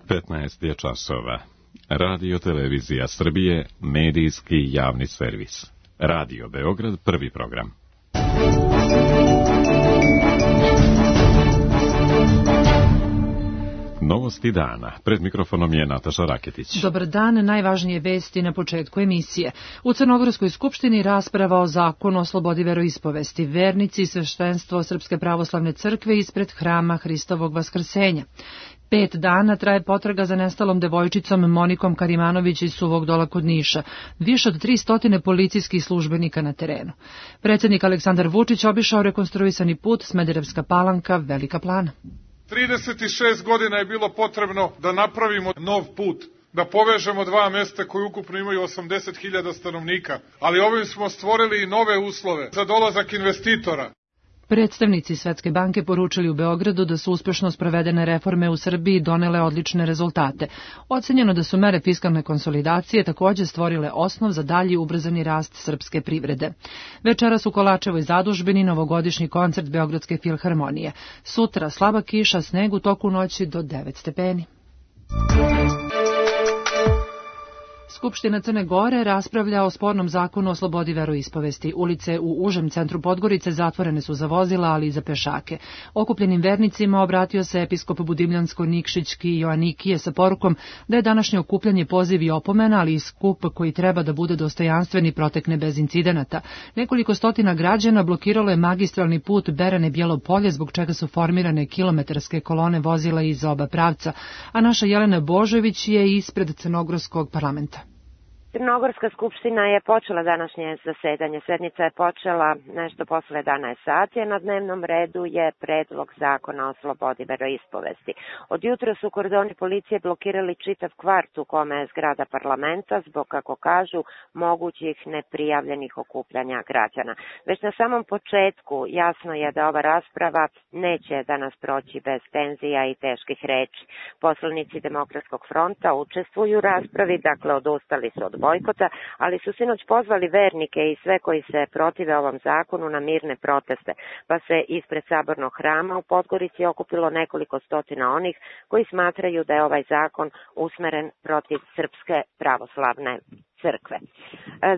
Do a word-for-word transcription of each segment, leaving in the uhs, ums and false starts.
petnaest je časova. Radio Televizija Srbije, medijski javni servis. Radio Beograd, prvi program. Novosti dana. Pred mikrofonom je Nataša Raketić. Dobar dan, najvažnije vesti na početku emisije. U Crnogorskoj skupštini rasprava o zakonu o slobodi veroispovesti. Vernici i sveštenstvo Srpske pravoslavne crkve ispred hrama Hristovog vaskrsenja. Pet dana traje potraga za nestalom devojčicom Monikom Karimanović iz Suvog Dola kod Niša. Više od tri stotine policijskih službenika na terenu. Predsjednik Aleksandar Vučić obišao rekonstruisani put Smederevska Palanka, Velika Plana. trideset šest godina je bilo potrebno da napravimo nov put, da povežemo dva mesta koji ukupno imaju osamdeset hiljada stanovnika, ali ovim smo stvorili i nove uslove za dolazak investitora. Predstavnici Svetske banke poručili u Beogradu da su uspešno sprovedene reforme u Srbiji donele odlične rezultate. Ocenjeno da su mere fiskalne konsolidacije također stvorile osnov za dalji ubrzani rast srpske privrede. Večeras u Kolačevoj zadužbini novogodišnji koncert Beogradske filharmonije. Sutra slaba kiša, sneg u toku noći do devet stepeni. Skupština Crne Gore raspravlja o spornom zakonu o slobodi veroispovesti. Ulice u užem centru Podgorice zatvorene su za vozila, ali i za pešake. Okupljenim vernicima obratio se episkop Budimljansko-Nikšićki Joanikije sa porukom da je današnje okupljanje poziv i opomena, ali i skup koji treba da bude dostojanstven i protekne bez incidenata. Nekoliko stotina građana blokiralo je magistralni put Berane-Bijelo Polje, zbog čega su formirane kilometarske kolone vozila iz oba pravca, a naša Jelena Božović je ispred Crnogorskog parlamenta. Crnogorska skupština je počela današnje zasedanje. Sednica je počela nešto posle jedanaest sati, a na dnevnom redu je predlog zakona o slobodi veroispovesti. Od jutra su kordoni policije blokirali čitav kvart u kome je zgrada parlamenta zbog, kako kažu, mogućih neprijavljenih okupljanja građana. Već na samom početku jasno je da ova rasprava neće danas proći bez tenzija i teških reči. Poslanici Demokratskog fronta učestvuju u raspravi, dakle odustali su od bojkota, ali su sinoć pozvali vernike i sve koji se protive ovom zakonu na mirne proteste, pa se ispred sabornog hrama u Podgorici okupilo nekoliko stotina onih koji smatraju da je ovaj zakon usmeren protiv Srpske pravoslavne crkve.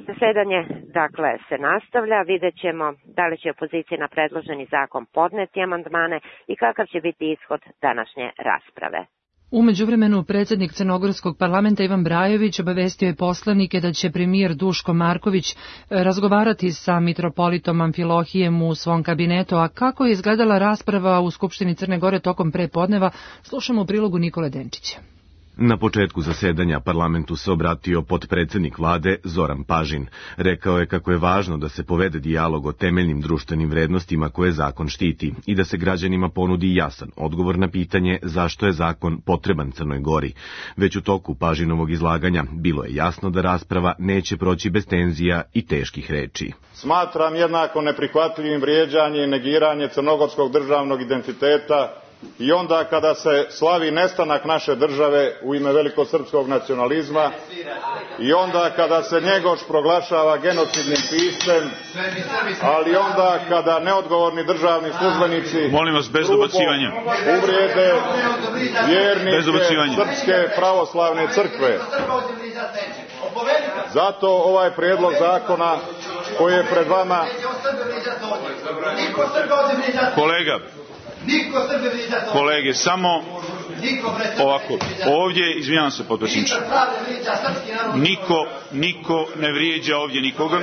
Zasedanje, dakle, se nastavlja. Vidjet ćemo da li će opozicija na predloženi zakon podneti amandmane i kakav će biti ishod današnje rasprave. U međuvremenu, predsjednik Crnogorskog parlamenta Ivan Brajović obavestio je poslanike da će premijer Duško Marković razgovarati sa mitropolitom Amfilohijem u svom kabinetu, a kako je izgledala rasprava u Skupštini Crne Gore tokom prepodneva, slušamo u prilogu Nikole Denčića. Na početku zasedanja parlamentu se obratio potpredsjednik vlade Zoran Pažin. Rekao je kako je važno da se povede dijalog o temeljnim društvenim vrednostima koje zakon štiti i da se građanima ponudi jasan odgovor na pitanje zašto je zakon potreban Crnoj Gori. Već u toku Pažinovog izlaganja bilo je jasno da rasprava neće proći bez tenzija i teških reči. Smatram jednako neprihvatljivim vrijeđanje i negiranje crnogorskog državnog identiteta i onda kada se slavi nestanak naše države u ime velikosrpskog nacionalizma i onda kada se Njegoš proglašava genocidnim piscem, ali onda kada neodgovorni državni službenici molim vas bez dobacivanja uvrijede vjernike Srpske pravoslavne crkve. Zato ovaj prijedlog zakona koji je pred vama... Kolega, kolege, samo ovako, ovdje, izvinjavam se potpredsjedniče, niko, niko ne vrijeđa ovdje nikoga.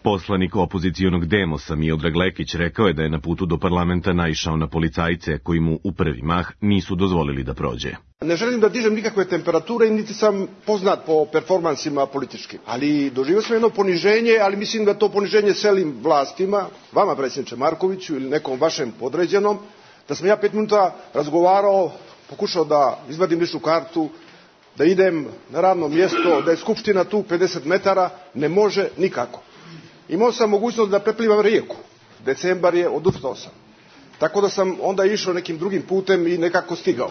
Poslanik opozicijonog Demosa Miodrag Lekić rekao je da je na putu do parlamenta naišao na policajce koji mu u prvi mah nisu dozvolili da prođe. Ne želim da dižem nikakve temperature, niti sam poznat po performansima političkim, ali doživio sam jedno poniženje, ali mislim da to poniženje selim vlastima, vama predsjedniče Markoviću ili nekom vašem podređenom, da sam ja pet minuta razgovarao, pokušao da izvadim ličnu kartu, da idem na radno mjesto, da je skupština tu pedeset metara, ne može nikako. Imao sam mogućnost da preplivam rijeku. Decembar je, odustao sam. Tako da sam onda išao nekim drugim putem i nekako stigao.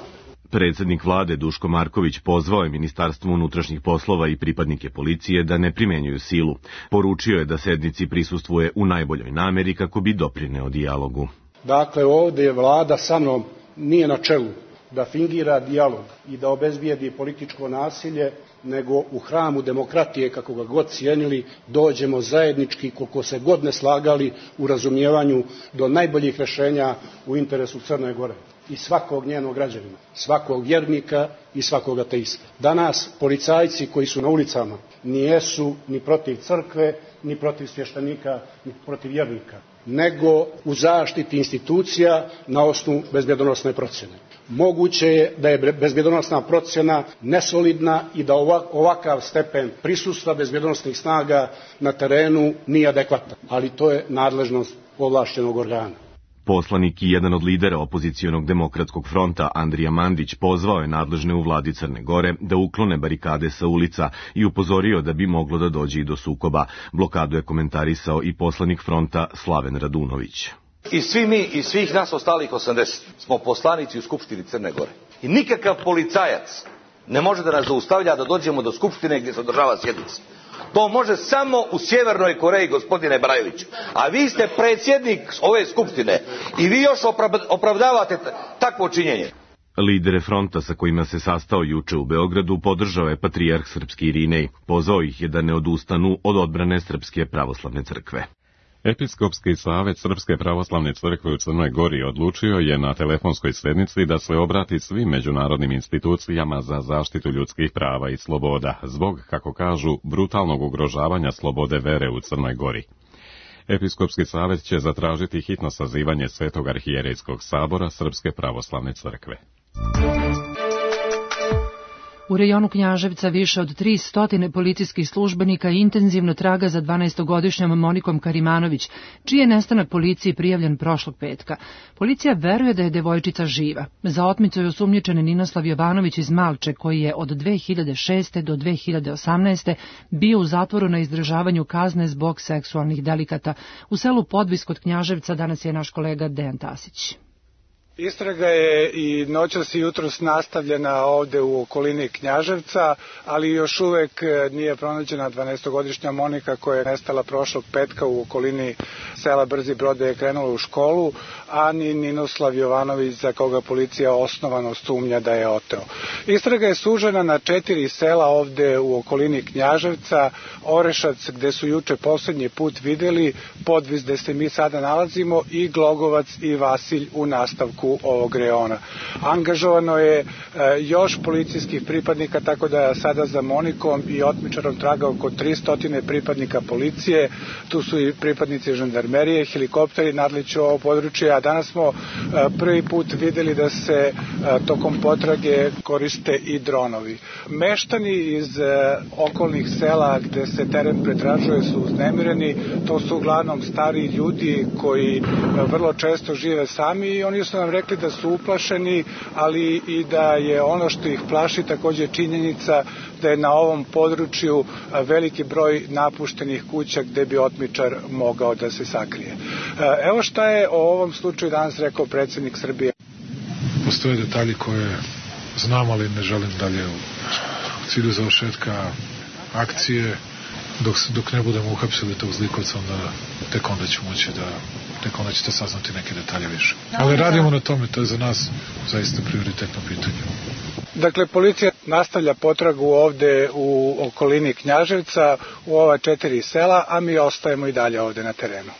Predsjednik vlade Duško Marković pozvao je Ministarstvo unutrašnjih poslova i pripadnike policije da ne primjenjuju silu. Poručio je da sednici prisustvuje u najboljoj namjeri kako bi doprineo dijalogu. Dakle, ovdje je vlada sa mnom, nije na čelu da fingira dijalog i da obezbijedi političko nasilje, nego u hramu demokratije, kako ga god cijenili, dođemo zajednički, koliko se god ne slagali, u razumijevanju do najboljih rješenja u interesu Crne Gore i svakog njenog građanina, svakog vjernika i svakog ateista. Danas policajci koji su na ulicama nijesu ni protiv crkve, ni protiv svještenika, ni protiv vjernika, nego u zaštiti institucija na osnovu bezbjedonosne procjene. Moguće je da je bezbjedonosna procjena nesolidna i da ovakav stepen prisustva bezbjedonosnih snaga na terenu nije adekvatan, ali to je nadležnost ovlašćenog organa. Poslanik i jedan od lidera opozicionog demokratskog fronta Andrija Mandić pozvao je nadležne u vladi Crne Gore da uklone barikade sa ulica i upozorio da bi moglo da dođe i do sukoba. Blokadu je komentarisao i poslanik fronta Slaven Radunović. I svi mi, i svih nas ostalih osamdeset smo poslanici u Skupštini Crne Gore. I nikakav policajac ne može da nas zaustavlja da dođemo do Skupštine gdje se održava sjednica. To može samo u Sjevernoj Koreji, gospodine Brajoviću. A vi ste predsjednik ove Skupštine i vi još opravdavate takvo činjenje. Lidere fronta sa kojima se sastao juče u Beogradu podržao je patrijarh srpski Irinej. Pozvao ih je da ne odustanu od odbrane Srpske pravoslavne crkve. Episkopski savet Srpske pravoslavne crkve u Crnoj Gori odlučio je na telefonskoj sednici da se obrati svim međunarodnim institucijama za zaštitu ljudskih prava i sloboda, zbog, kako kažu, brutalnog ugrožavanja slobode vere u Crnoj Gori. Episkopski savet će zatražiti hitno sazivanje Svetog arhijerejskog sabora Srpske pravoslavne crkve. U rejonu Knjaževca više od tristo policijskih službenika intenzivno traga za dvanaestogodišnjom Monikom Karimanović, čiji je nestanak policiji prijavljen prošlog petka. Policija veruje da je devojčica živa. Za otmicu je osumnjičen Ninoslav Jovanović iz Malče, koji je od dve hiljade šeste. do dve hiljade osamnaeste. bio u zatvoru na izdržavanju kazne zbog seksualnih delikata. U selu Podvis kod Knjaževca danas je naš kolega Dejan Tasić. Istraga je i noćas i jutros nastavljena ovde u okolini Knjaževca, ali još uvek nije pronađena dvanaestogodišnja Monika koja je nestala prošlog petka u okolini sela Brzi Brod, je krenula u školu, a ni Ninoslav Jovanović, za koga policija osnovano sumnja da je oteo. Istraga je sužena na četiri sela ovde u okolini Knjaževca: Orešac, gde su juče poslednji put videli, Podvis, gde se mi sada nalazimo, i Glogovac i Vasilj u nastavku ovog reona. Angažovano je e, još policijskih pripadnika, tako da sada za Monikom i otmičarom traga oko tristo pripadnika policije. Tu su i pripadnici žandarmerije, helikopteri nadliču ovo područje, a danas smo e, prvi put videli da se e, tokom potrage koriste i dronovi. Meštani iz e, okolnih sela gde se teren pretražuje su uznemireni. To su uglavnom stari ljudi koji e, vrlo često žive sami i oni su nam rekli da su uplašeni, ali i da je ono što ih plaši također činjenica da je na ovom području veliki broj napuštenih kuća gde bi otmičar mogao da se sakrije. Evo šta je o ovom slučaju danas rekao predsjednik Srbije. Postoje detalji koje znam, ali ne želim dalje u cilju završetka akcije. Dok, dok ne budemo uhapsili tog zlikovca, onda tek onda ću moći da tek onda ćete saznati neke detalje više. Ali radimo na tome, to je za nas zaista prioritetno pitanje. Dakle, policija nastavlja potragu ovde u okolini Knjaževca, u ova četiri sela, a mi ostajemo i dalje ovde na terenu.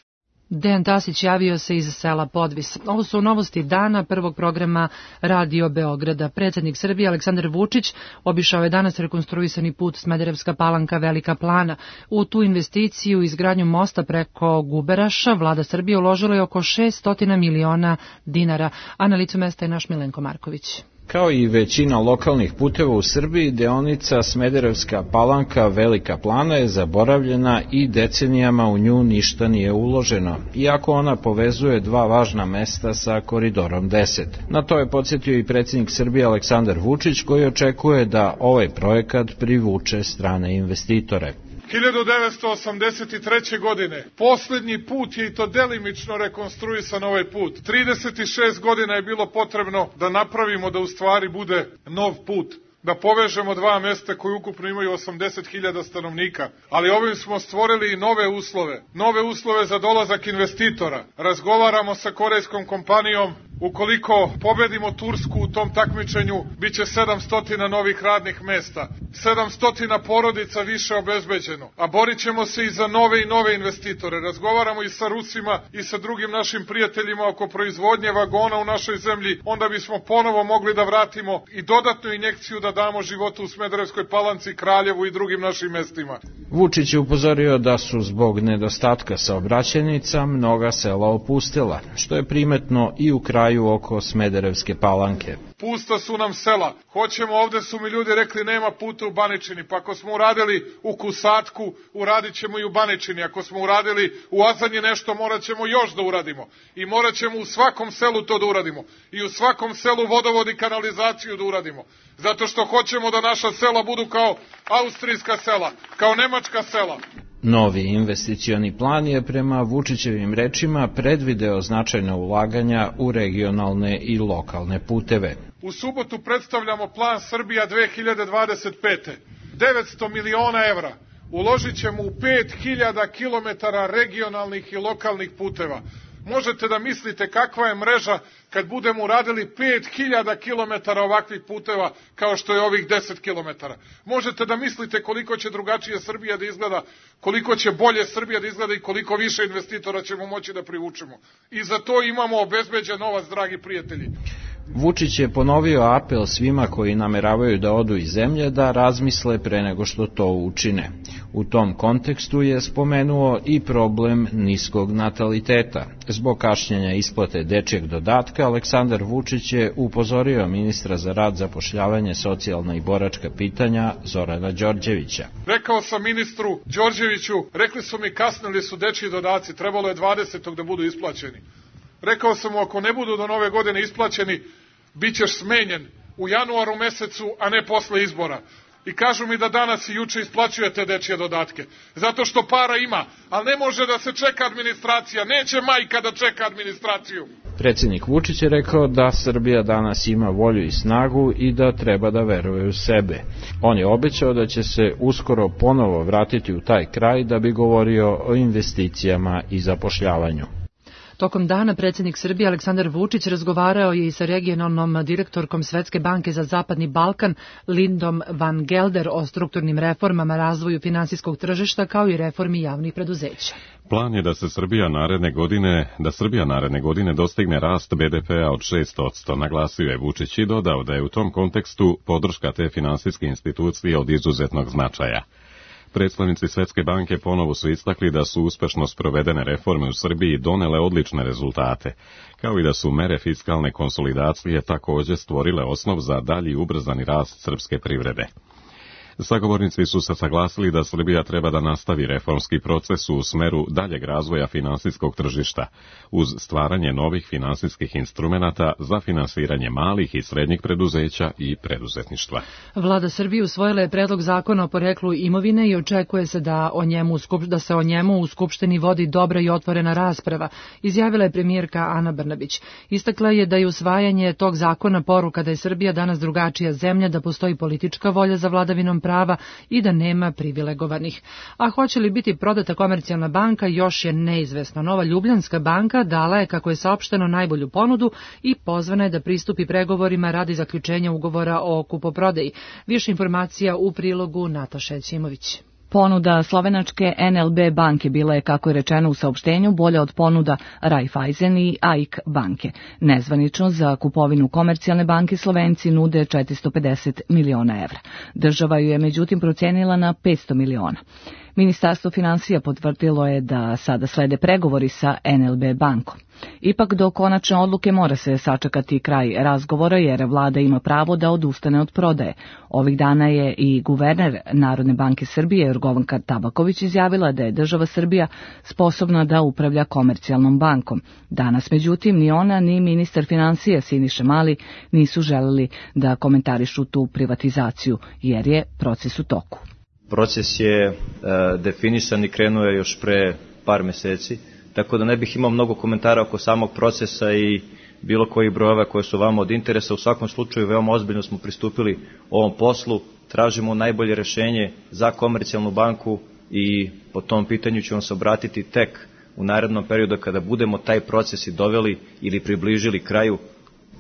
Dejan Tasić javio se iz sela Podvis. Ovo su novosti dana prvog programa Radio Beograda. Predsjednik Srbije Aleksandar Vučić obišao je danas rekonstruisani put Smederevska Palanka Velika Plana. U tu investiciju izgradnju mosta preko Guberaša vlada Srbije uložila je oko šest miliona dinara, a na licu mesta je naš Milenko Marković. Kao i većina lokalnih puteva u Srbiji, deonica Smederevska Palanka Velika Plana je zaboravljena i decenijama u nju ništa nije uloženo, iako ona povezuje dva važna mesta sa Koridorom deset. Na to je podsjetio i predsjednik Srbije Aleksandar Vučić, koji očekuje da ovaj projekat privuče strane investitore. hiljadu devetsto osamdeset treće. godine posljednji put je i to delimično rekonstruisan ovaj put. trideset šest godina je bilo potrebno da napravimo da u stvari bude nov put, da povežemo dva mesta koji ukupno imaju osamdeset hiljada stanovnika, ali ovim smo stvorili i nove uslove, nove uslove za dolazak investitora. Razgovaramo sa korejskom kompanijom, Ukoliko pobedimo Tursku u tom takmičenju, bit će sedamsto novih radnih mesta, sedamsto porodica više obezbeđeno, a borit ćemo se i za nove i nove investitore. Razgovaramo i sa Rusima i sa drugim našim prijateljima oko proizvodnje vagona u našoj zemlji, onda bismo ponovo mogli da vratimo i dodatnu injekciju da damo životu u Smederevskoj Palanci, Kraljevu i drugim našim mestima. Vučić je upozorio da su zbog nedostatka saobraćajnica mnoga sela opustila, što je primetno i u kraju oko Smederevske Palanke. Pusta su nam sela. Hoćemo, ovde su mi ljudi rekli nema puta u Baničini, pa ako smo uradili u Kusatku, uradit ćemo i u Baničini. Ako smo uradili u Azanji nešto, morat ćemo još da uradimo. I morat ćemo u svakom selu to da uradimo. I u svakom selu vodovod i kanalizaciju da uradimo. Zato što hoćemo da naša sela budu kao austrijska sela, kao nemačka sela. Novi investicioni plan je prema Vučićevim rečima predvideo značajna ulaganja u regionalne i lokalne puteve. U subotu predstavljamo plan Srbija dve hiljade dvadeset pete. devetsto miliona evra uložit ćemo u pet hiljada kilometara regionalnih i lokalnih puteva. Možete da mislite kakva je mreža kad budemo uradili pet hiljada kilometara ovakvih puteva kao što je ovih deset kilometara. Možete da mislite koliko će drugačije Srbija da izgleda, koliko će bolje Srbija da izgleda i koliko više investitora ćemo moći da privučemo. I za to imamo obezbeđen novac, dragi prijatelji. Vučić je ponovio apel svima koji nameravaju da odu iz zemlje da razmisle pre nego što to učine. U tom kontekstu je spomenuo i problem niskog nataliteta. Zbog kašnjenja isplate dečjeg dodatka, Aleksandar Vučić je upozorio ministra za rad, zapošljavanje, socijalna i boračka pitanja Zorana Đorđevića. Rekao sam ministru Đorđeviću, rekli su mi kasnili su dečji dodaci, trebalo je dvadesetog da budu isplaćeni. Rekao sam mu, ako ne budu do nove godine isplaćeni, bit ćeš smenjen u januaru mesecu, a ne posle izbora. I kažu mi da danas i juče isplaćujete dečje dodatke. Zato što para ima, ali ne može da se čeka administracija. Neće majka da čeka administraciju. Predsjednik Vučić je rekao da Srbija danas ima volju i snagu i da treba da veruje u sebe. On je obećao da će se uskoro ponovo vratiti u taj kraj da bi govorio o investicijama i zapošljavanju. Tokom dana predsjednik Srbije Aleksandar Vučić razgovarao je i sa regionalnom direktorkom Svetske banke za Zapadni Balkan Lindom van Gelder o strukturnim reformama, razvoju finansijskog tržišta kao i reformi javnih preduzeća. Plan je da se Srbija naredne godine, da Srbija naredne godine dostigne rast be de pea od šest posto, naglasio je Vučić i dodao da je u tom kontekstu podrška te finansijske institucije od izuzetnog značaja. Predstavnici Svetske banke ponovo su istakli da su uspešno sprovedene reforme u Srbiji donele odlične rezultate, kao i da su mere fiskalne konsolidacije također stvorile osnov za dalji ubrzani rast srpske privrede. Sagovornici su se saglasili da Srbija treba da nastavi reformski proces u smeru daljeg razvoja finansijskog tržišta, uz stvaranje novih finansijskih instrumenata za finansiranje malih i srednjih preduzeća i preduzetništva. Vlada Srbije usvojila je predlog zakona o poreklu imovine i očekuje se da, o njemu, da se o njemu u Skupštini vodi dobra i otvorena rasprava, izjavila je premijerka Ana Brnabić. Istakla je da je usvajanje tog zakona poruka da je Srbija danas drugačija zemlja, da postoji politička volja za vladavinom prava i da nema privilegovanih. A hoće li biti prodata Komercijalna banka još je neizvesno. Nova Ljubljanska banka dala je, kako je saopšteno, najbolju ponudu i pozvana je da pristupi pregovorima radi zaključenja ugovora o kupoprodaji. Više informacija u prilogu Nataša Ćimović. Ponuda slovenačke en el be banke bila je, kako je rečeno u saopštenju, bolja od ponuda Raiffeisen i A I K banke. Nezvanično za kupovinu Komercijalne banke Slovenci nude četiristo pedeset miliona evra. Država ju je međutim procenila na petsto miliona. Ministarstvo finansija potvrdilo je da sada slede pregovori sa en el be bankom. Ipak do konačne odluke mora se sačekati kraj razgovora jer vlada ima pravo da odustane od prodaje. Ovih dana je i guverner Narodne banke Srbije Jorgovanka Tabaković izjavila da je država Srbija sposobna da upravlja Komercijalnom bankom. Danas, međutim, ni ona ni ministar finansija Siniša Mali nisu želeli da komentarišu tu privatizaciju jer je proces u toku. Proces je e, definisan i krenuo je još pre par meseci, tako da ne bih imao mnogo komentara oko samog procesa i bilo koji brojeva koje su vama od interesa. U svakom slučaju veoma ozbiljno smo pristupili ovom poslu, tražimo najbolje rešenje za Komercijalnu banku i po tom pitanju ću vam se obratiti tek u narednom periodu kada budemo taj proces i doveli ili približili kraju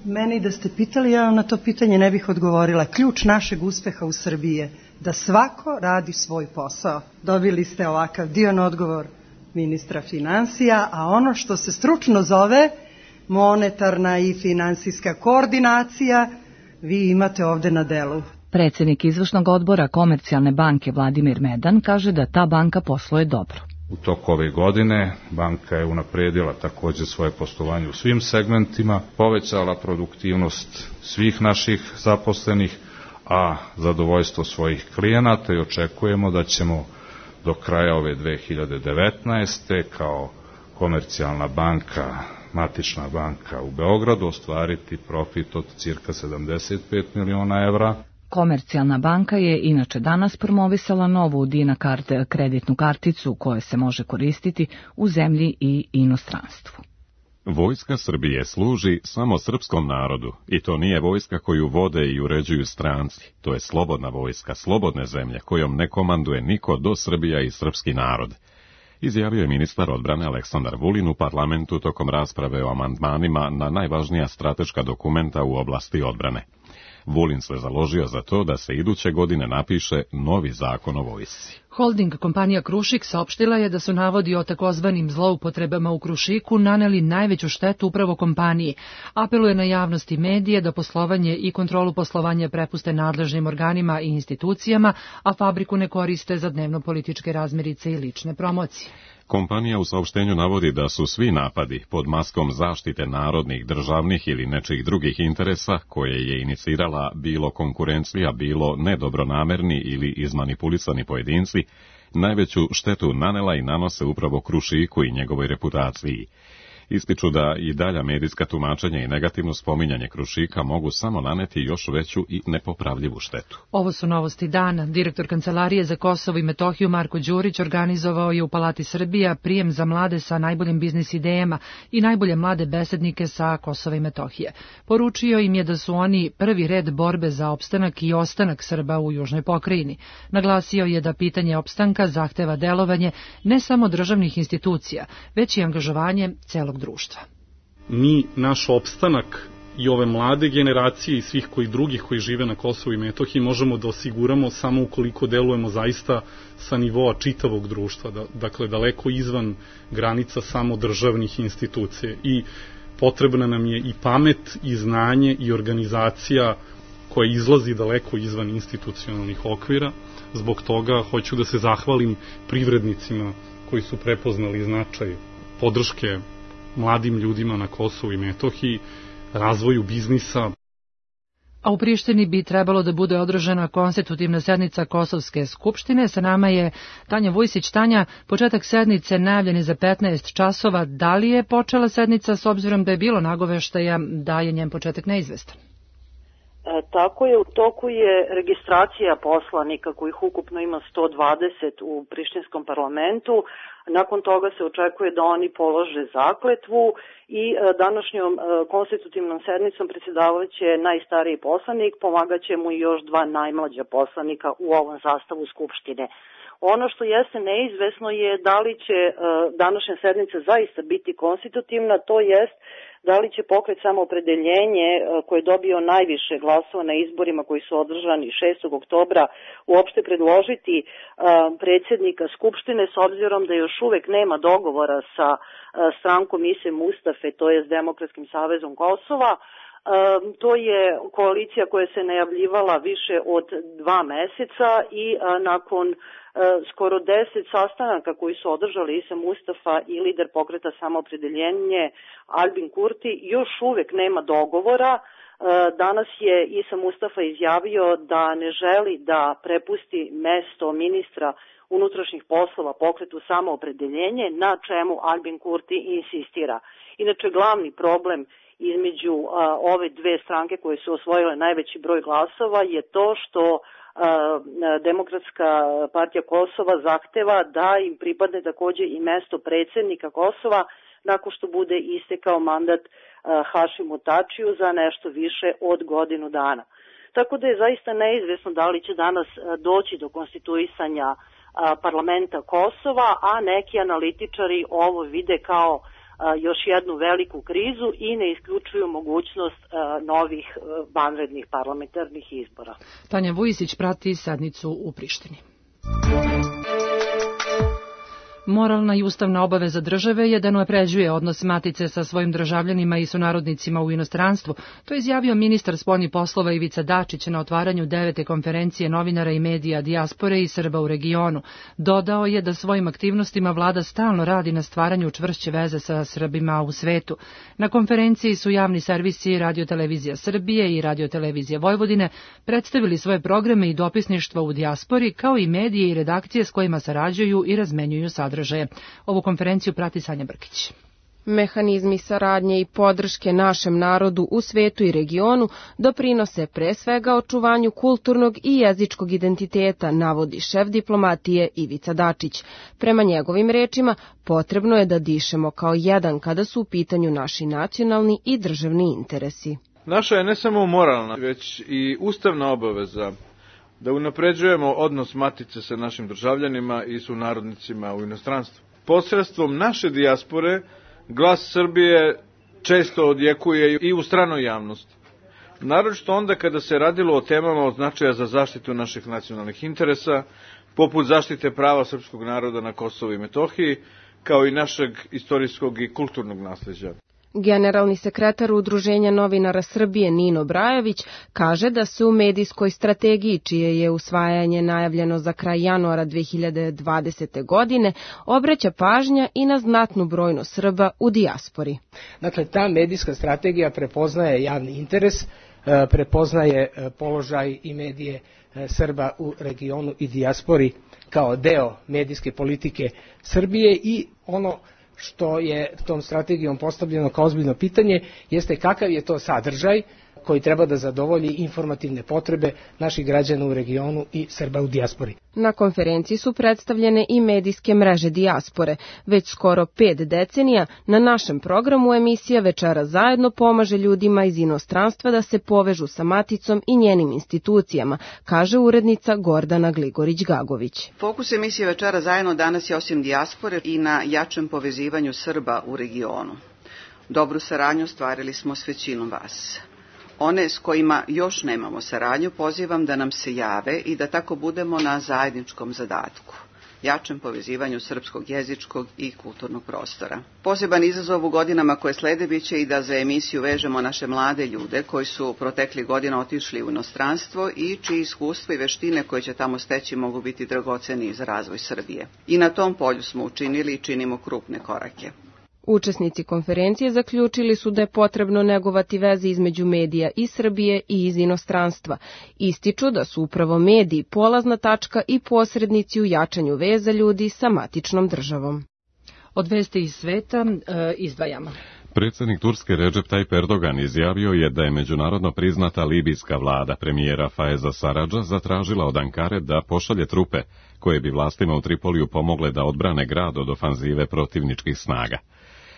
Meni da ste pitali, ja vam na to pitanje ne bih odgovorila. Ključ našeg uspeha u Srbiji je da svako radi svoj posao. Dobili ste ovakav divan odgovor ministra finansija, a ono što se stručno zove monetarna i finansijska koordinacija, vi imate ovde na delu. Predsednik izvršnog odbora Komercijalne banke Vladimir Medan kaže da ta banka posluje dobro. U toku ove godine banka je unapredila takođe svoje poslovanje u svim segmentima, povećala produktivnost svih naših zaposlenih, a zadovoljstvo svojih klijenata i očekujemo da ćemo do kraja ove dve hiljade devetnaeste. kao Komercijalna banka, matična banka u Beogradu ostvariti profit od cirka sedamdeset pet miliona evra. Komercijalna banka je inače danas promovisala novu Dinakard kreditnu karticu koja se može koristiti u zemlji i inostranstvu. Vojska Srbije služi samo srpskom narodu i to nije vojska koju vode i uređuju stranci. To je slobodna vojska, slobodne zemlje kojom ne komanduje niko do Srbija i srpski narod. Izjavio je ministar odbrane Aleksandar Vulin u parlamentu tokom rasprave o amandmanima na najvažnija strateška dokumenta u oblasti odbrane. Vulin se založio za to da se iduće godine napiše novi zakon o vojsci. Holding kompanija Krušik saopštila je da su navodi o takozvanim zloupotrebama u Krušiku naneli najveću štetu upravo kompaniji. Apeluje na javnost i medije da poslovanje i kontrolu poslovanja prepuste nadležnim organima i institucijama, a fabriku ne koriste za dnevno-političke razmirice i lične promocije. Kompanija u saopštenju navodi da su svi napadi pod maskom zaštite narodnih, državnih ili nečih drugih interesa koje je inicirala bilo konkurencija, bilo nedobronamerni ili izmanipulisani pojedinci, najveću štetu nanela i nanose upravo Krušiku i njegovoj reputaciji. Ističu da i dalja medijska tumačenja i negativno spominjanje Krušika mogu samo naneti još veću i nepopravljivu štetu. Ovo su novosti dana. Direktor Kancelarije za Kosovo i Metohiju Marko Đurić organizovao je u Palati Srbija prijem za mlade sa najboljim biznis idejama i najbolje mlade besednike sa Kosova i Metohije. Poručio im je da su oni prvi red borbe za opstanak i ostanak Srba u južnoj pokrajini. Naglasio je da pitanje opstanka zahteva delovanje ne samo državnih institucija, već i angažovanje celog društva. Mi, naš opstanak i ove mlade generacije i svih koji drugih koji žive na Kosovu i Metohiji možemo da osiguramo samo ukoliko delujemo zaista sa nivoa čitavog društva, da, dakle daleko izvan granica samo državnih institucija. I potrebna nam je i pamet i znanje i organizacija koja izlazi daleko izvan institucionalnih okvira. Zbog toga hoću da se zahvalim privrednicima koji su prepoznali značaj podrške mladim ljudima na Kosovu i Metohiji, razvoju biznisa. A u Prištini bi trebalo da bude održana konstitutivna sednica Kosovske skupštine. Sa nama je Tanja Vujsić. Tanja, početak sednice najavljen je za petnaest časova. Da li je počela sednica s obzirom da je bilo nagoveštaja da je njen početak neizvestan? E, tako je, u toku je registracija poslanika kojih ukupno ima sto dvadeset u prištinskom parlamentu. Nakon toga se očekuje da oni polože zakletvu i e, današnjom e, konstitutivnom sednicom predsjedavaće najstariji poslanik, pomagaće mu i još dva najmlađa poslanika u ovom sastavu Skupštine. Ono što jeste neizvesno je da li će e, današnja sednica zaista biti konstitutivna, to jest da li će pokret Samoopredeljenje koji je dobio najviše glasova na izborima koji su održani šestog oktobra uopšte predložiti predsjednika Skupštine s obzirom da još uvek nema dogovora sa strankom Ise Mustafe, to je s Demokratskim savezom Kosova. To je koalicija koja se najavljivala više od dva meseca i nakon skoro deset sastanaka koji su održali Isa Mustafa i lider pokreta Samoopredeljenje Albin Kurti, još uvek nema dogovora. Danas je Isa Mustafa izjavio da ne želi da prepusti mesto ministra unutrašnjih poslova pokretu Samoopredeljenje, na čemu Albin Kurti insistira. Inače, glavni problem između a, ove dve stranke koje su osvojile najveći broj glasova je to što a, Demokratska partija Kosova zahteva da im pripadne takođe i mesto predsjednika Kosova nakon što bude istekao mandat a, Hašimu Tačiju za nešto više od godinu dana. Tako da je zaista neizvesno da li će danas a, doći do konstituisanja a, parlamenta Kosova, a neki analitičari ovo vide kao još jednu veliku krizu i ne isključuju mogućnost novih vanrednih parlamentarnih izbora. Tanja Vujisić prati sednicu u Prištini. Moralna i ustavna obaveza države je da unapređuje odnos matice sa svojim državljanima i sunarodnicima u inostranstvu. To je izjavio ministar spoljnih poslova Ivica Dačić na otvaranju devete konferencije novinara i medija dijaspore i Srba u regionu. Dodao je da svojim aktivnostima vlada stalno radi na stvaranju čvršće veze sa Srbima u svetu. Na konferenciji su javni servisi Radiotelevizija Srbije i Radiotelevizija Vojvodine predstavili svoje programe i dopisništva u dijaspori, kao i medije i redakcije s kojima sarađuju i razmenjuju sadržaje. Ovu konferenciju prati Sanja Brkić. Mehanizmi saradnje i podrške našem narodu u svetu i regionu doprinose pre svega očuvanju kulturnog i jezičkog identiteta, navodi šef diplomatije Ivica Dačić. Prema njegovim rečima, potrebno je da dišemo kao jedan kada su u pitanju naši nacionalni i državni interesi. Naša je ne samo moralna, već i ustavna obaveza da unapređujemo odnos matice sa našim državljanima i sunarodnicima u inostranstvu. Posredstvom naše dijaspore glas Srbije često odjekuje i u stranoj javnosti. Naročito onda kada se radilo o temama od značaja za zaštitu naših nacionalnih interesa, poput zaštite prava srpskog naroda na Kosovu i Metohiji, kao i našeg istorijskog i kulturnog nasleđa. Generalni sekretar Udruženja novinara Srbije Nino Brajović kaže da se u medijskoj strategiji, čije je usvajanje najavljeno za kraj januara dve hiljade dvadesete. godine, obraća pažnja i na znatnu brojnost Srba u dijaspori. Dakle, ta medijska strategija prepoznaje javni interes, prepoznaje položaj i medije Srba u regionu i dijaspori kao deo medijske politike Srbije i ono što je tom strategijom postavljeno kao ozbiljno pitanje jeste kakav je to sadržaj koji treba da zadovolji informativne potrebe naših građana u regionu i Srba u dijaspori. Na konferenciji su predstavljene i medijske mreže dijaspore. Već skoro pet decenija na našem programu emisija Večera zajedno pomaže ljudima iz inostranstva da se povežu sa maticom i njenim institucijama, kaže urednica Gordana Gligorić-Gagović. Fokus emisije Večera zajedno danas je osim dijaspore i na jačem povezivanju Srba u regionu. Dobru saradnju stvarili smo s većinom vas. One s kojima još nemamo saradnju pozivam da nam se jave i da tako budemo na zajedničkom zadatku, jačem povezivanju srpskog jezičkog i kulturnog prostora. Poseban izazov u godinama koje slede biće i da za emisiju vežemo naše mlade ljude koji su protekli godina otišli u inostranstvo i čiji iskustvo i veštine koje će tamo steći mogu biti dragoceni za razvoj Srbije. I na tom polju smo učinili i činimo krupne korake. Učesnici konferencije zaključili su da je potrebno negovati veze između medija iz Srbije i iz inostranstva. Ističu da su upravo mediji polazna tačka i posrednici u jačanju veza ljudi sa matičnom državom. Od vesti iz sveta e, izdvajamo. Predsjednik Turske Recep Tayyip Erdogan izjavio je da je međunarodno priznata libijska vlada premijera Faiza Sarradža zatražila od Ankare da pošalje trupe koje bi vlastima u Tripoliju pomogle da odbrane grad od ofanzive protivničkih snaga.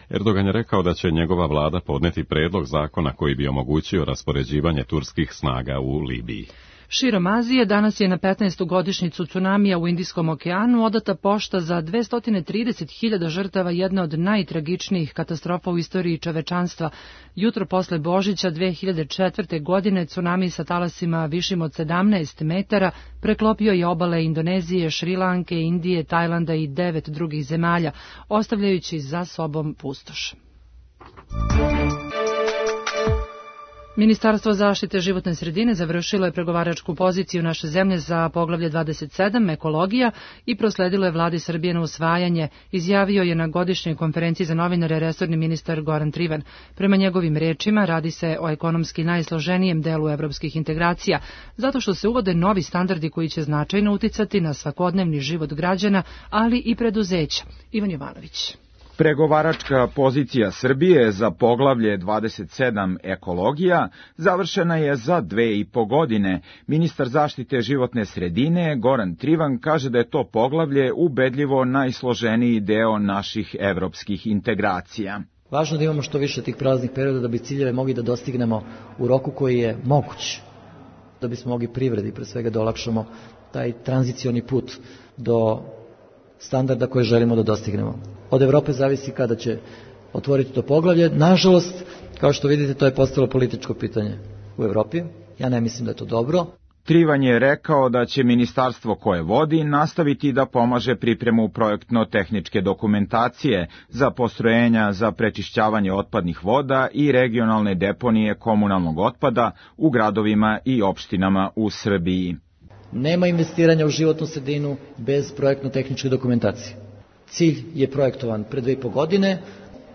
Erdogan je rekao da će njegova vlada podneti predlog zakona koji bi omogućio raspoređivanje turskih snaga u Libiji. Širom Azije danas je na petnaestu godišnjicu cunamija u Indijskom okeanu odata pošta za dvesta trideset hiljada žrtava, jedna od najtragičnijih katastrofa u istoriji čovečanstva. Jutro posle Božića dve hiljade četvrte. godine cunami sa talasima višim od sedamnaest metara preklopio je obale Indonezije, Šrilanke, Indije, Tajlanda i devet drugih zemalja, ostavljajući za sobom pustoš. Ministarstvo zaštite životne sredine završilo je pregovaračku poziciju naše zemlje za poglavlje dvadeset sedam ekologija i prosledilo je vladi Srbije na usvajanje, izjavio je na godišnjoj konferenciji za novinare resorni ministar Goran Trivan. Prema njegovim rečima radi se o ekonomski najsloženijem delu evropskih integracija, zato što se uvode novi standardi koji će značajno uticati na svakodnevni život građana, ali i preduzeća. Ivan Jovanović. Pregovaračka pozicija Srbije za poglavlje dvadeset sedam ekologija završena je za dve i po godine. Ministar zaštite životne sredine Goran Trivan kaže da je to poglavlje ubedljivo najsloženiji deo naših evropskih integracija. Važno da imamo što više tih prelaznih perioda da bi ciljeve mogli da dostignemo u roku koji je moguć, da bismo mogli privredi pre svega da olakšamo taj tranzicioni put do standarda koje želimo da dostignemo. Od Evrope zavisi kada će otvoriti to poglavlje. Nažalost, kao što vidite, to je postalo političko pitanje u Evropi. Ja ne mislim da je to dobro. Trivan je rekao da će ministarstvo koje vodi nastaviti da pomaže pripremu projektno-tehničke dokumentacije za postrojenja za prečišćavanje otpadnih voda i regionalne deponije komunalnog otpada u gradovima i opštinama u Srbiji. Nema investiranja u životnu sredinu bez projektno-tehničke dokumentacije. Cilj je projektovan pre dve i po godine,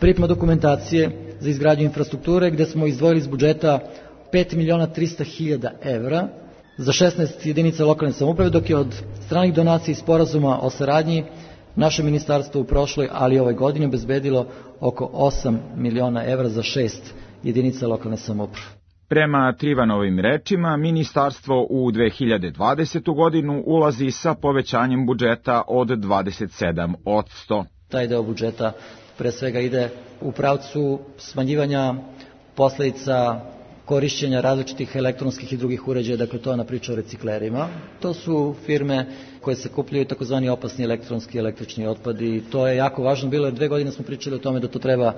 priprema dokumentacije za izgradnju infrastrukture gde smo izdvojili iz budžeta pet miliona trista hiljada evra za šesnaest jedinica lokalne samouprave, dok je od stranih donacija i sporazuma o saradnji naše ministarstvo u prošloj, ali i ovoj godini obezbedilo oko osam miliona evra za šest jedinica lokalne samouprave. Prema Trivanovim rečima, ministarstvo u dve hiljade dvadesetu godinu ulazi sa povećanjem budžeta od dvadeset sedam posto. Taj deo budžeta pre svega ide u pravcu smanjivanja posledica korišćenja različitih elektronskih i drugih uređaja, dakle to je ona priča o reciklerima. To su firme koje se kupljaju takozvani opasni elektronski i električni otpad i to je jako važno bilo, jer dve godine smo pričali o tome da to treba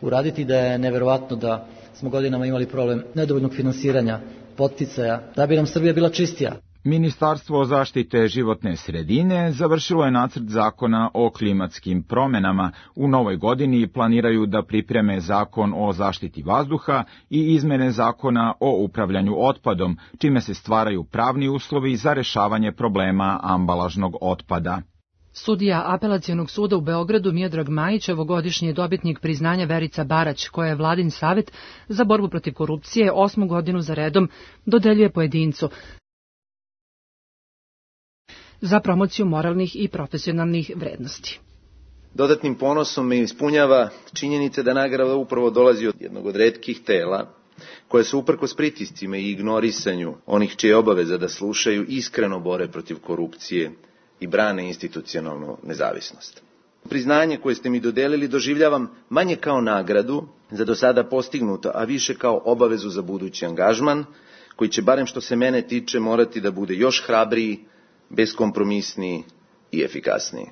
uraditi, da je neverovatno da smo godinama imali problem nedovoljnog finansiranja, podsticaja, da bi nam Srbija bila čistija. Ministarstvo zaštite životne sredine završilo je nacrt zakona o klimatskim promenama. U novoj godini planiraju da pripreme zakon o zaštiti vazduha i izmene zakona o upravljanju otpadom, čime se stvaraju pravni uslovi za rešavanje problema ambalažnog otpada. Sudija Apelacionog suda u Beogradu Miodrag Majić, ovogodišnji je dobitnik priznanja Verica Barać, koja je Vladin savet za borbu protiv korupcije osmu godinu za redom dodeljuje pojedincu za promociju moralnih i profesionalnih vrednosti. Dodatnim ponosom me ispunjava činjenica da nagrada upravo dolazi od jednog od retkih tela koje se uprkos pritiscima i ignorisanju onih čije obaveza da slušaju iskreno bore protiv korupcije i brane institucionalnu nezavisnost. Priznanje koje ste mi dodelili doživljavam manje kao nagradu za do sada postignuto, a više kao obavezu za budući angažman, koji će, barem što se mene tiče, morati da bude još hrabriji, beskompromisniji i efikasniji.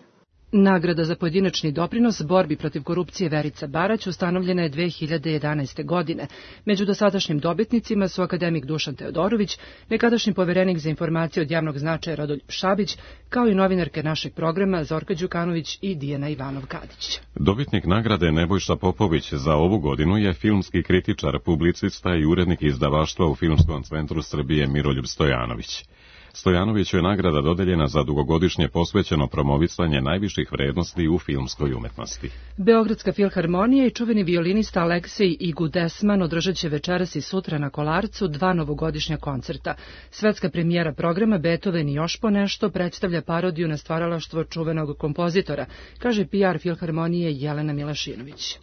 Nagrada za pojedinačni doprinos borbi protiv korupcije Verica Barać ustanovljena je dve hiljade jedanaeste. godine. Među dosadašnjim dobitnicima su akademik Dušan Teodorović, nekadašnji poverenik za informacije od javnog značaja Rodoljub Šabić, kao i novinarke našeg programa Zorka Đukanović i Dijana Ivanov-Kadić. Dobitnik nagrade Nebojša Popović za ovu godinu je filmski kritičar, publicista i urednik izdavaštva u Filmskom centru Srbije Miroljub Stojanović. Stojanoviću je nagrada dodeljena za dugogodišnje posvećeno promovisanje najviših vrednosti u filmskoj umetnosti. Beogradska filharmonija i čuveni violinista Aleksej Igudesman održat će večeras i sutra na Kolarcu dva novogodišnja koncerta. Svetska premijera programa Beethoven i još po nešto predstavlja parodiju na stvaralaštvo čuvenog kompozitora, kaže P R filharmonije Jelena Milašinović.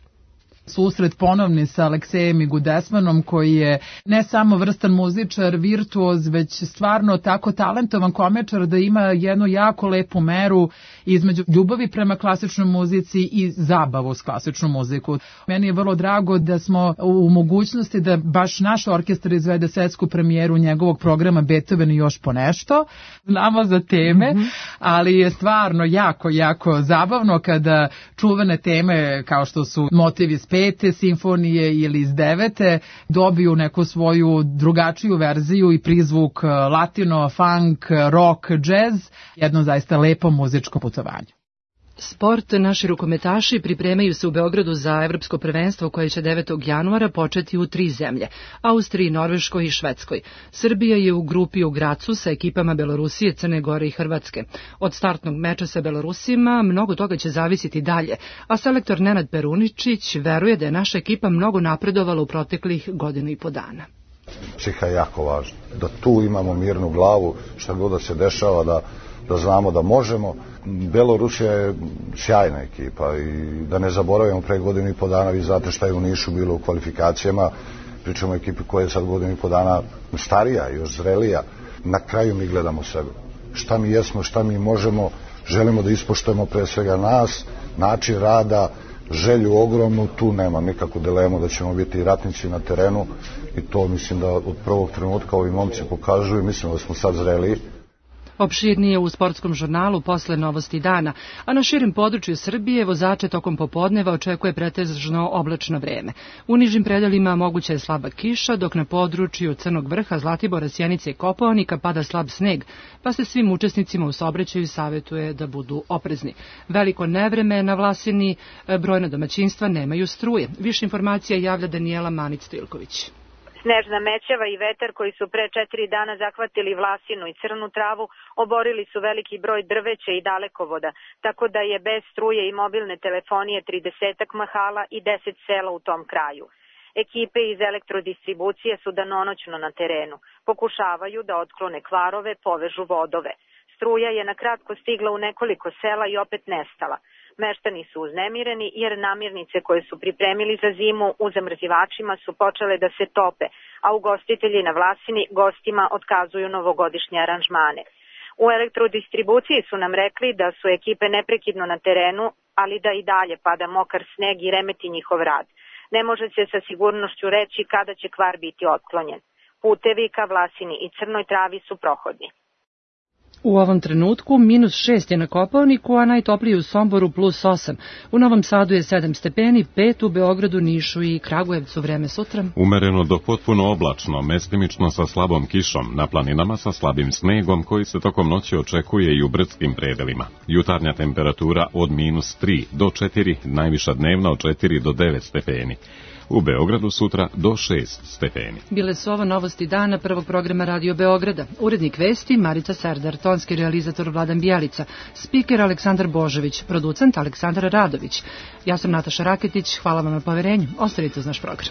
Susret ponovni sa Aleksejem Igudesmanom, koji je ne samo vrstan muzičar, virtuoz, već stvarno tako talentovan komičar da ima jednu jako lepu meru između ljubavi prema klasičnoj muzici i zabavu s klasičnom muziku. Meni je vrlo drago da smo u mogućnosti da baš naš orkestar izvede svetsku premijeru njegovog programa Beethoven i još po nešto. Znamo za teme, mm-hmm. ali je stvarno jako, jako zabavno kada čuvene teme kao što su motivi iz pete simfonije ili iz devete dobiju neku svoju drugačiju verziju i prizvuk latino, funk, rock, jazz, jedno zaista lepo muzičko putovanje. Sport. Naši rukometaši pripremaju se u Beogradu za evropsko prvenstvo koje će devetog januara početi u tri zemlje, Austriji, Norveškoj i Švedskoj. Srbija je u grupi u Gracu sa ekipama Belorusije, Crne Gore i Hrvatske. Od startnog meča sa Belorusima mnogo toga će zavisiti dalje, a selektor Nenad Peruničić veruje da je naša ekipa mnogo napredovala u proteklih godinu i po dana. Psiha je jako važna, da tu imamo mirnu glavu, šta god da se dešava, da da znamo da možemo. Belorusija je sjajna ekipa i da ne zaboravimo, pre godinu i po dana, vi znate šta je u Nišu bilo u kvalifikacijama, pričamo o ekipi koja je sad godinu i po dana starija, još zrelija. Na kraju mi gledamo sebe. Šta mi jesmo, šta mi možemo, želimo da ispoštujemo pre svega nas, način rada, želju ogromnu, tu nema nikakvu dilemu da ćemo biti ratnici na terenu i to mislim da od prvog trenutka ovi momci pokažuju, mislim da smo sad zreliji. Opširnije u sportskom žurnalu posle novosti dana, a na širim području Srbije vozače tokom popodneva očekuje pretežno oblačno vreme. U nižim predelima moguća je slaba kiša, dok na području Crnog Vrha, Zlatibora, Sjenice i Kopaonika pada slab sneg, pa se svim učesnicima u saobraćaju savjetuje da budu oprezni. Veliko nevreme na Vlasini, brojna domaćinstva nemaju struje. Više informacija javlja Danijela Manić-Stilković. Snežna mećava i vetar koji su pre četiri dana zahvatili Vlasinu i Crnu Travu oborili su veliki broj drveća i dalekovoda, tako da je bez struje i mobilne telefonije tridesetak mahala i deset sela u tom kraju. Ekipe iz elektrodistribucije su danonoćno na terenu. Pokušavaju da otklone kvarove, povežu vodove. Struja je na kratko stigla u nekoliko sela i opet nestala. Meštani su uznemireni jer namirnice koje su pripremili za zimu u zamrzivačima su počele da se tope, a ugostitelji na Vlasini gostima otkazuju novogodišnje aranžmane. U elektrodistribuciji su nam rekli da su ekipe neprekidno na terenu, ali da i dalje pada mokar sneg i remeti njihov rad. Ne može se sa sigurnošću reći kada će kvar biti otklonjen. Putevi ka Vlasini i Crnoj Travi su prohodni. U ovom trenutku minus šest je na Kopaoniku, a najtoplije u Somboru plus osam. U Novom Sadu je sedam stepeni, pet u Beogradu, Nišu i Kragujevcu. Vreme sutra. Umereno do potpuno oblačno, mestimično sa slabom kišom, na planinama sa slabim snegom koji se tokom noći očekuje i u brdskim predelima. Jutarnja temperatura od minus tri do četiri, najviša dnevna od četiri do devet stepeni. U Beogradu sutra do šest stepeni. Bile su ovo novosti dana prvog programa Radio Beograda. Urednik vesti Marica Serdar, tonski realizator Vladan Bijelica, spiker Aleksandar Božović, producent Aleksandar Radović. Ja sam Nataša Raketić, hvala vam na poverenju. Ostanite uz naš program.